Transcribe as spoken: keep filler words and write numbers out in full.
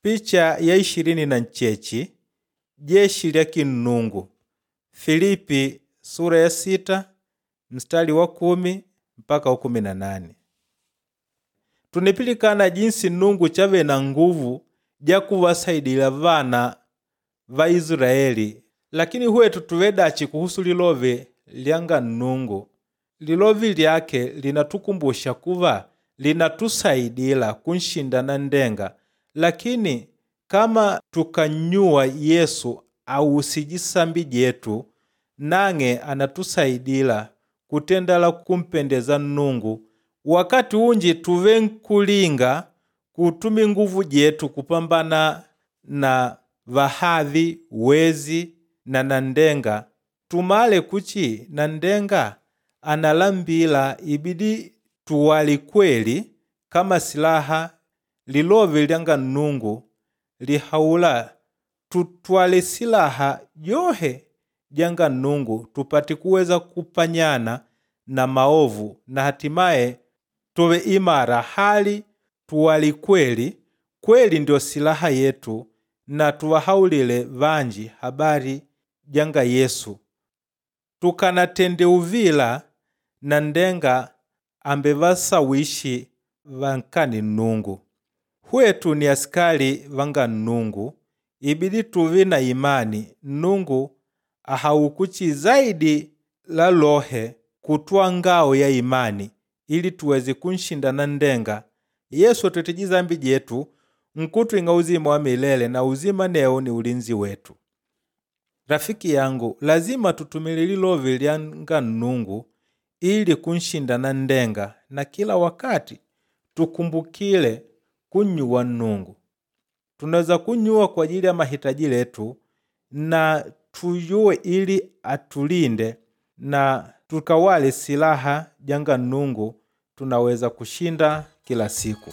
Picha ya ishirini na nchechi jeshi lya kinnungu Filipi sura ya sita mstari wa kumi mpaka wa kumi na nane. Tunipilikana jinsi Nnungu chave na nguvu ja kuvasaidila vana va Israeli, lakini hwetu tuve dachi kuhusu lilove lyanga Nnungu? Lilovi lyake linatukumbusha kuva linatusaidila kunshinda nanndenga, lakini kama tukannyuwa Yesu awusije sambi jetu, nang'e anatusaidila kutendala kumpendeza Nnungu. Wakati unji tuve nkulinga kutumi nguvu jetu kupambana na vahavi, wezi na nanndenga. Tumale kuchi nanndenga analambila ibidi tuwali kweli kama silaha. Lilove lyanga Nnungu lihaula tutwale silaha johe janga Nnungu tupate kuweza kupanyana na maovu na hatimaye tuwe imara hali tuwali kweli. Kweli ndio silaha yetu na tuwahaulile vanji habari janga Yesu. Tukanatende uvila nanndenga ambevasawishi vankane Nnungu. Hwetu ni asikali vanga Nnungu, ibidi tuve na imani. Nnungu ahaukuchi zaidi la lohe kutwaa ngao ya imani ili tuweze kunshinda nanndenga. Yesu atwetije zambi jetu nkutwing'a uzima wa milele na uzima neo ni ulinzi wetu. Rafiki yangu, lazima tutumile lilove lyanga Nnungu ili kunshinda nanndenga na kila wakati tukumbukile kunnyuwa Nnungu. Tunaweza kunyuwa kwa ajili ya mahitaji letu na tuyuwe ili atulinde na tukawale silaha janga Nnungu tunaweza kushinda kila siku.